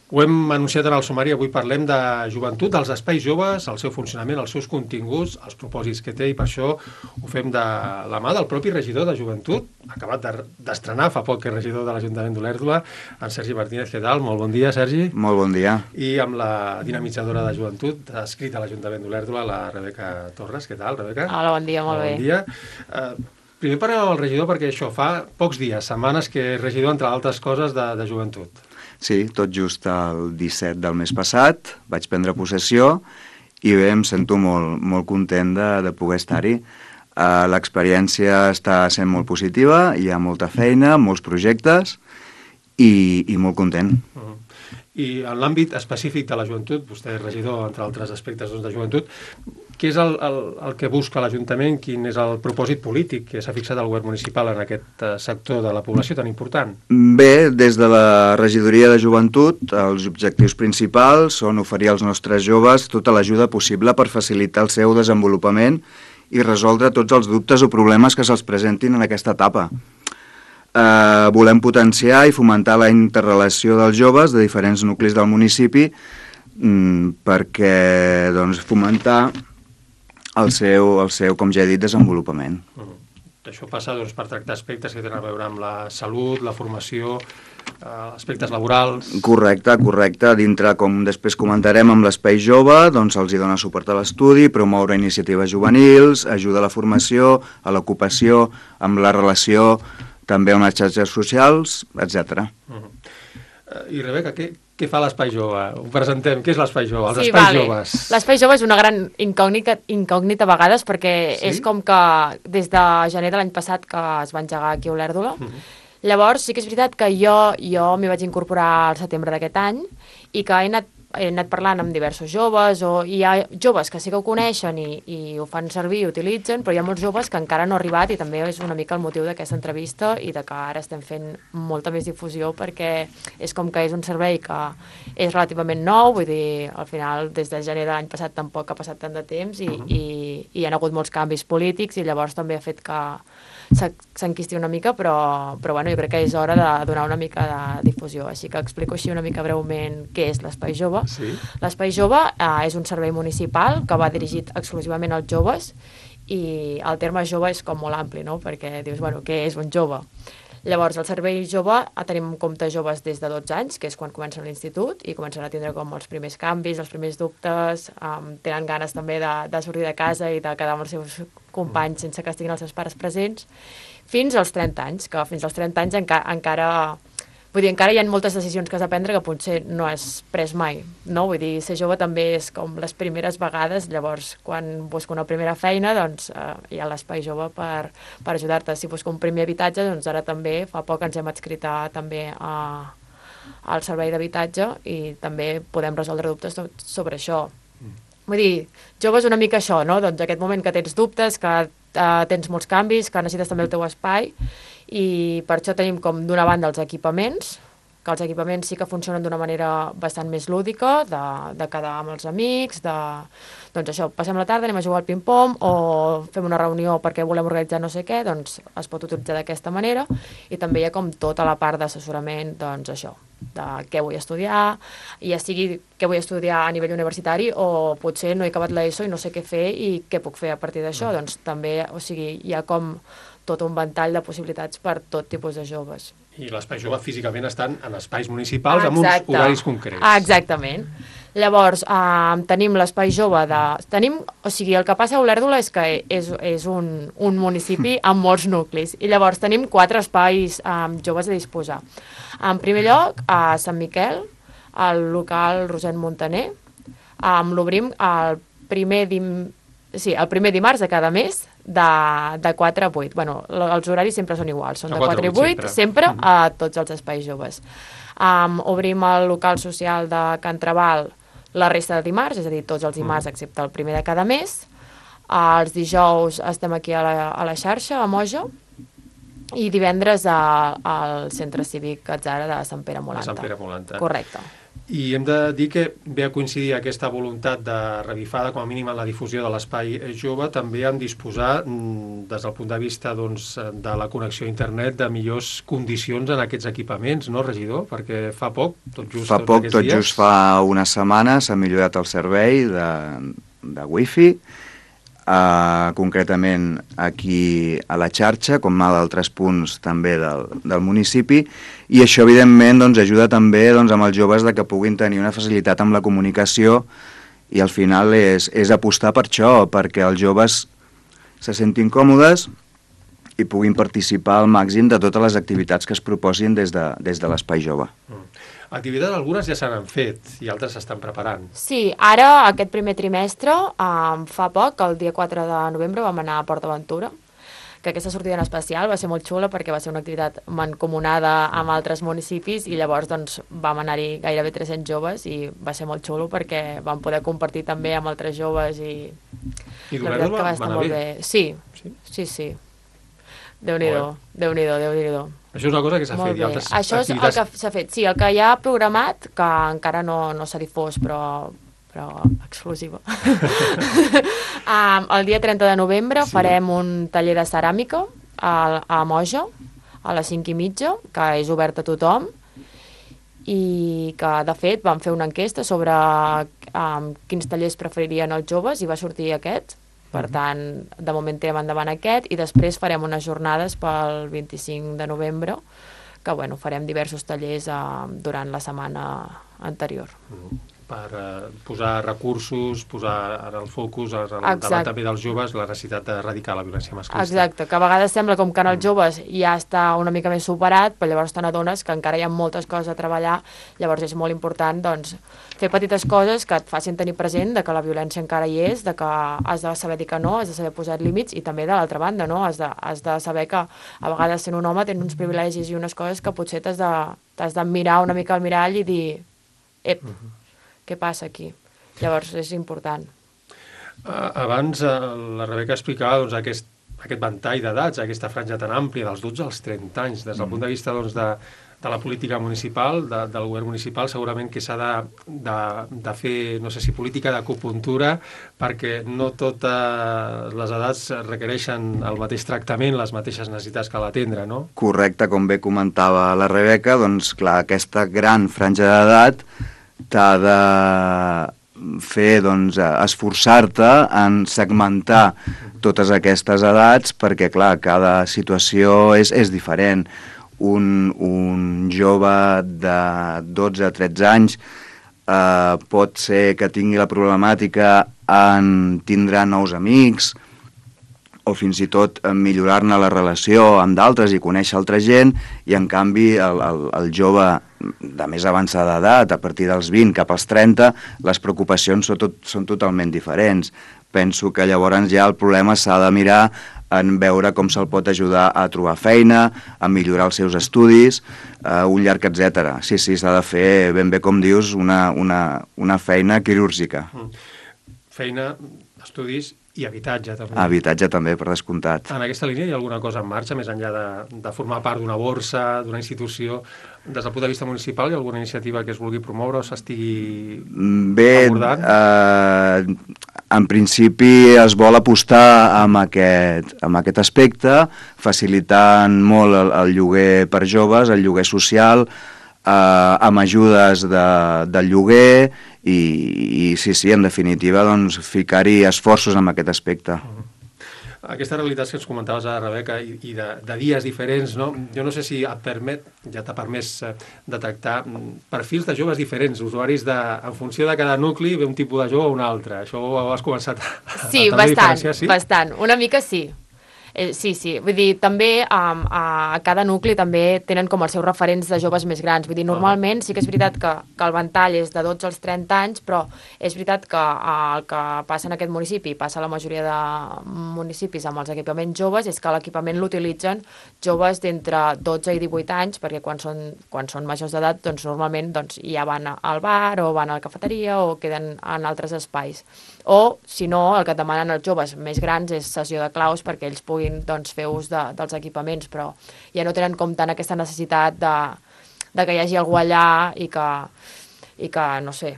Ho hem anunciat en el sumari, avui parlem de joventut, dels espais joves, el seu funcionament, els seus continguts, els propòsits que té, i per això ho fem de la mà del propi regidor de joventut, acabat d'estrenar fa poc que és regidor de l'Ajuntament d'Olèrdola, en Sergi Martínez. Què tal? Molt bon dia, Sergi. Molt bon dia. I amb la dinamitzadora de joventut, adscrita a l'Ajuntament d'Olèrdola, la Rebeca Torres. Què tal, Rebeca? Hola, bon dia, molt bé. Bon dia. Primer parlem amb el regidor perquè això fa pocs dies, setmanes que és regidor, entre altres coses, de joventut. Sí, tot just el 17 del mes passat vaig prendre possessió i bé, em sento molt content de poder estar-hi. L'experiència està sent molt positiva, hi ha molta feina, molts projectes i molt content. I en l'àmbit específic de la joventut, vostè és regidor, entre altres aspectes de joventut, què és el que busca l'Ajuntament? Quin és el propòsit polític que s'ha fixat el govern municipal en aquest sector de la població tan important? Bé, des de la regidoria de joventut, els objectius principals són oferir als nostres joves tota l'ajuda possible per facilitar el seu desenvolupament i resoldre tots els dubtes o problemes que se'ls presentin en aquesta etapa. Volem potenciar i fomentar la interrelació dels joves de diferents nuclis del municipi perquè fomentar el seu, com ja he dit, desenvolupament. Això passa per tractar aspectes que tenen a veure amb la salut, la formació, aspectes laborals... Correcte. Dintre, com després comentarem, amb l'espai jove, doncs els hi dona suport a l'estudi, promoure iniciatives juvenils, ajuda a la formació, a l'ocupació, amb la relació també amb les xarxes socials, etc. I Rebeca, què fa l'Espai Jove? Ho presentem. Què és l'Espai Jove? Els espais joves. L'Espai Jove és una gran incògnita a vegades perquè és com que des de gener de l'any passat que es va engegar aquí a Olèrdola. Llavors sí que és veritat que jo m'hi vaig incorporar al setembre d'aquest any i que he anat parlant amb diversos joves, hi ha joves que sí que ho coneixen i ho fan servir i utilitzen, però hi ha molts joves que encara no han arribat i també és una mica el motiu d'aquesta entrevista i de que ara estem fent molta més difusió perquè és com que és un servei que és relativament nou, vull dir, al final des de gener de l'any passat tampoc ha passat tant de temps i hi ha hagut molts canvis polítics i llavors també ha fet que s'enquisti una mica, però bueno, jo crec que és hora de donar una mica de difusió, així que explico així una mica breument què és l'Espai Jove. Sí. L'Espai Jove és un servei municipal que va dirigit exclusivament als joves i el terme jove és com molt ampli, no? Perquè dius, bueno, què és un jove? Llavors, el servei jove tenim en compte joves des de 12 anys, que és quan comencen l'institut i comencen a tindre com els primers canvis, els primers dubtes, tenen ganes també de sortir de casa i de quedar amb els seus companys sense que estiguin els seus pares presents, fins als 30 anys, que fins als 30 anys encara... Vull dir, encara hi ha moltes decisions que has de prendre que potser no has pres mai, no? Vull dir, ser jove també és com les primeres vegades, llavors quan busco una primera feina, doncs hi ha l'Espai Jove per ajudar-te. Si busco un primer habitatge, doncs ara també, fa poc ens hem adscrit també al servei d'habitatge i també podem resoldre dubtes sobre això. Vull dir, jove és una mica això, no? Doncs aquest moment que tens dubtes, que tens molts canvis, que necessites també el teu espai i per això tenim com d'una banda els equipaments, que els equipaments sí que funcionen d'una manera bastant més lúdica, de quedar amb els amics, doncs això, passem la tarda, anem a jugar al ping-pong o fem una reunió perquè volem organitzar no sé què, doncs es pot utilitzar d'aquesta manera i també hi ha com tota la part d'assessorament, doncs això, de què vull estudiar, ja sigui què vull estudiar a nivell universitari o potser no he acabat l'ESO i no sé què fer i què puc fer a partir d'això, doncs també, o sigui, hi ha com tot un ventall de possibilitats per tot tipus de joves. I l'Espai Jove físicament estan en espais municipals amb uns horaris concrets. Exactament. Llavors, tenim l'Espai Jove o sigui, el que passa a Olèrdola és que és un municipi amb molts nuclis i llavors tenim 4 espais joves a disposar. En primer lloc, a Sant Miquel, al local Roset Montaner, l'obrim el primer dimarts de cada mes de 4 a 8. Bueno, els horaris sempre són iguals, són de 4 a 8, sempre a tots els espais joves. Obrim el local social de Can Trabal la resta de dimarts, és a dir, tots els dimarts excepte el primer de cada mes. Els dijous estem aquí a la xarxa, a Moja, i divendres al Centre Cívic Atzara de Sant Pere Molanta. Sant Pere Molanta. Correcte. I hem de dir que ve a coincidir aquesta voluntat de revifada, com a mínim en la difusió de l'espai jove, també en disposar, des del punt de vista doncs, de la connexió a internet, de millors condicions en aquests equipaments, no, regidor? Perquè fa poc, tot just fa una setmana, s'ha millorat el servei de wifi, concretament aquí a la xarxa, com a d'altres punts també del municipi, i això evidentment doncs, ajuda també doncs, amb els joves de que puguin tenir una facilitat amb la comunicació, i al final és apostar per això, perquè els joves se sentin còmodes i puguin participar al màxim de totes les activitats que es proposin des de l'Espai Jove. Activitats algunes ja s'han fet i altres s'estan preparant. Sí, ara aquest primer trimestre, fa poc, el dia 4 de novembre, vam anar a PortAventura, que aquesta sortida en especial va ser molt xula perquè va ser una activitat mancomunada amb altres municipis i llavors doncs, vam anar-hi gairebé 300 joves i va ser molt xulo perquè vam poder compartir també amb altres joves i la veritat que va estar molt bé. Sí. Déu-n'hi-do. Això és una cosa que s'ha fet. Això és el que s'ha fet. Sí, el que hi ha programat, que encara no s'ha difós, però exclusiva. El dia 30 de novembre farem un taller de ceràmica a Moja, a les 5:30, que és obert a tothom, i que, de fet, vam fer una enquesta sobre quins tallers preferirien els joves i va sortir aquest. Per tant, de moment tirem endavant aquest i després farem unes jornades pel 25 de novembre que farem diversos tallers durant la setmana anterior. Per posar recursos, posar en el focus, davant també dels joves, la necessitat d'erradicar la violència masclista. Exacte, que a vegades sembla com que en els joves ja està una mica més superat, però llavors te n'adones que encara hi ha moltes coses a treballar, llavors és molt important doncs, fer petites coses que et facin tenir present de que la violència encara hi és, de que has de saber dir que no, has de saber posar límits i també de l'altra banda, no? Has de saber que a vegades sent un home tens uns privilegis i unes coses que potser t'has de mirar una mica al mirall i dir què passa aquí? Llavors és important. Abans la Rebeca explicava doncs, aquest ventall d'edats, aquesta franja tan àmplia dels 12 als 30 anys, des del punt de vista doncs, de la política municipal, del govern municipal, segurament que s'ha de fer, no sé si política d'acupuntura, perquè no totes les edats requereixen el mateix tractament, les mateixes necessitats que l'atendre, no? Correcte, com bé comentava la Rebeca, doncs clar, aquesta gran franja d'edat t'ha de fer, doncs, esforçar-te en segmentar totes aquestes edats perquè, clar, cada situació és diferent. Un jove de 12 a 13 anys pot ser que tingui la problemàtica en tindre nous amics o fins i tot millorar-ne la relació amb d'altres i conèixer altra gent, i en canvi el jove de més avançada edat, a partir dels 20 cap als 30, les preocupacions són totalment diferents. Penso que llavors ja el problema s'ha de mirar en veure com se'l pot ajudar a trobar feina, a millorar els seus estudis, un llarg etcètera. Sí, s'ha de fer, ben bé com dius, una feina quirúrgica. Feina, estudis i habitatge, també. Habitatge també, per descomptat. En aquesta línia hi ha alguna cosa en marxa, més enllà de formar part d'una borsa, d'una institució? Des del punt de vista municipal, hi ha alguna iniciativa que es vulgui promoure o s'estigui abordant? En principi es vol apostar amb aquest aspecte, facilitant molt el lloguer per joves, el lloguer social, amb ajudes del lloguer i sí, en definitiva, doncs, ficar-hi esforços en aquest aspecte. Aquesta realitat que ens comentaves ara, Rebeca, i de dies diferents, no? Jo no sé si ja t'ha permès detectar perfils de joves diferents, usuaris en funció de cada nucli ve un tipus de jove o un altre. Això ho has començat a diferenciar, sí? Bastant. Una mica sí. Sí. Vull dir, també a cada nucli també tenen com els seus referents de joves més grans. Vull dir, normalment sí que és veritat que el ventall és de 12 als 30 anys, però és veritat que el que passa en aquest municipi, passa a la majoria de municipis amb els equipaments joves, és que l'equipament l'utilitzen joves d'entre 12 i 18 anys, perquè quan són majors d'edat, doncs normalment ja van al bar o van a la cafeteria o queden en altres espais. O, si no, el que et demanen els joves més grans és sessió de claus perquè ells puguin fer ús dels equipaments, però ja no tenen com tant aquesta necessitat de que hi hagi algú allà i que i que, no sé,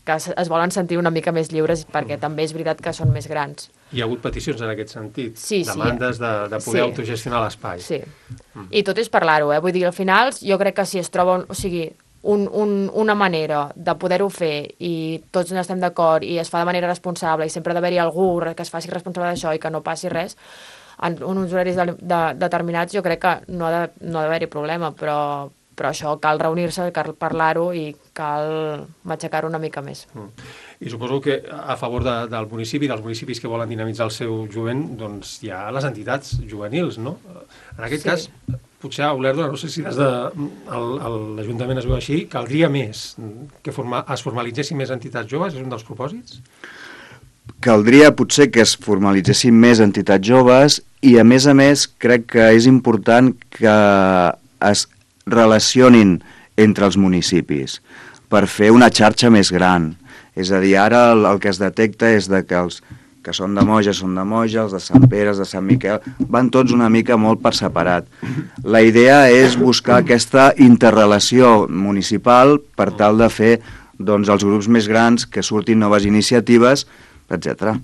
que es volen sentir una mica més lliures perquè també és veritat que són més grans. Hi ha hagut peticions en aquest sentit? Sí, demandes de poder autogestionar l'espai? Sí, i tot és parlar-ho, Vull dir, al final jo crec que si es troba, o sigui, una manera de poder-ho fer i tots n'estem d'acord i es fa de manera responsable i sempre ha d'haver-hi algú que es faci responsable d'això i que no passi res, en uns horaris determinats jo crec que no ha d'haver-hi problema, però això cal reunir-se, cal parlar-ho i cal matxacar-ho una mica més. I suposo que a favor del municipi, dels municipis que volen dinamitzar el seu jovent, doncs hi ha les entitats juvenils, no? En aquest cas, potser a Olèrdola, no sé si des de l'Ajuntament es veu així, caldria més que es formalitzessin més entitats joves, és un dels propòsits? Caldria potser que es formalitzessin més entitats joves i a més crec que és important que es relacionin entre els municipis per fer una xarxa més gran. És a dir, ara el que es detecta és que els que són de Moja, els de Sant Pere, els de Sant Miquel, van tots una mica molt per separat. La idea és buscar aquesta interrelació municipal per tal de fer doncs, els grups més grans, que surtin noves iniciatives, etc.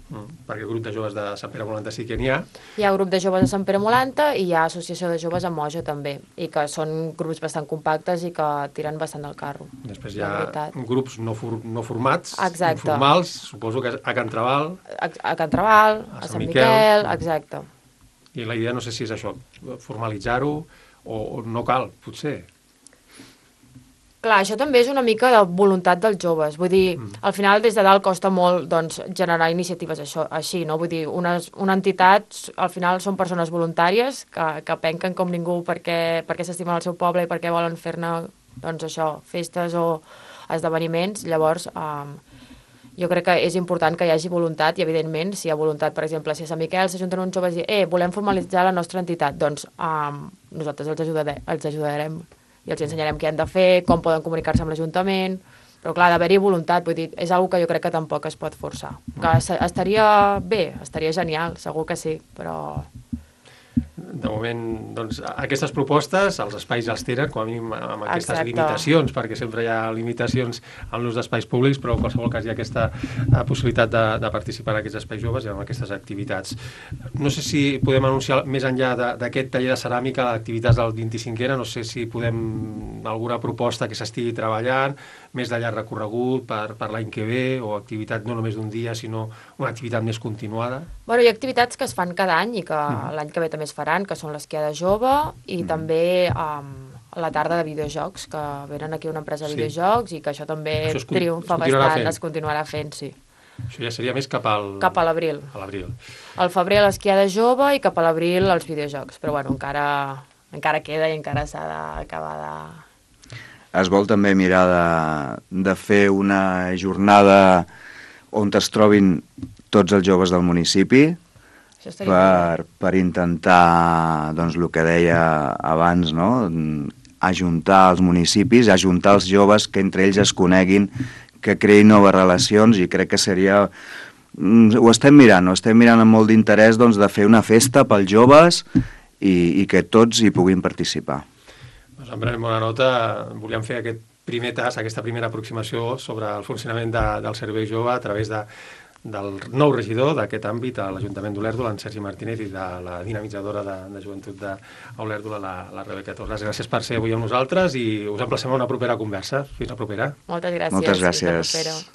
Perquè el grup de joves de Sant Pere Molanta sí que n'hi ha. Hi ha grup de joves de Sant Pere Molanta i hi ha associació de joves a Moja també, i que són grups bastant compactes i que tiren bastant el carro. Després hi ha grups no formats, exacte, informals, suposo que a Can Trabal. A Can Trabal, a Sant Miquel, exacte. I la idea no sé si és això, formalitzar-ho o no cal, potser. Clar, això també és una mica de voluntat dels joves. Vull dir, al final des de dalt costa molt doncs, generar iniciatives així, no? Vull dir, una entitat, al final són persones voluntàries que penquen com ningú perquè s'estimen el seu poble i perquè volen fer-ne, doncs això, festes o esdeveniments. Llavors, jo crec que és important que hi hagi voluntat i, evidentment, si hi ha voluntat, per exemple, si a Sant Miquel s'ajunten uns joves i volem formalitzar la nostra entitat, doncs nosaltres els ajudarem i els ensenyarem què han de fer, com poden comunicar-se amb l'Ajuntament, però clar, d'haver-hi voluntat, vull dir, és una que jo crec que tampoc es pot forçar. Que estaria bé, estaria genial, segur que sí, però... De moment, doncs, aquestes propostes, els espais els tenen, com a mínim amb aquestes limitacions, perquè sempre hi ha limitacions en l'ús d'espais públics, però en qualsevol cas hi ha aquesta possibilitat de participar en aquests espais joves i en aquestes activitats. No sé si podem anunciar, més enllà d'aquest taller de ceràmica, d'activitats del 25ena, no sé si podem alguna proposta que s'estigui treballant, més de llarg recorregut per l'any que ve, o activitat no només d'un dia, sinó una activitat més continuada? Bueno, hi ha activitats que es fan cada any i que l'any que ve també es faran, que són l'esquiada jove i també la tarda de videojocs, que venen aquí una empresa de videojocs i que això també triomfa bastant, es continuarà fent, sí. Això ja seria més cap a l'abril. A l'abril. Al febrer l'esquiada jove i cap a l'abril els videojocs, però bueno, encara queda i encara s'ha d'acabar de... Es vol també mirar de fer una jornada on es trobin tots els joves del municipi per intentar, doncs, el que deia abans, no? Ajuntar els municipis, ajuntar els joves, que entre ells es coneguin, que creïn noves relacions, i crec que seria... Ho estem mirant amb molt d'interès, doncs, de fer una festa pels joves i que tots hi puguin participar. Doncs en prenem bona nota. Volíem fer aquest primer tas, aquesta primera aproximació sobre el funcionament del servei jove a través del nou regidor d'aquest àmbit a l'Ajuntament d'Olèrdola, en Sergi Martínez, i de la dinamitzadora de joventut d'Olèrdola, la Rebeca Torres. Gràcies per ser avui amb nosaltres i us emplacem a una propera conversa. Fins la propera. Moltes gràcies. Moltes gràcies.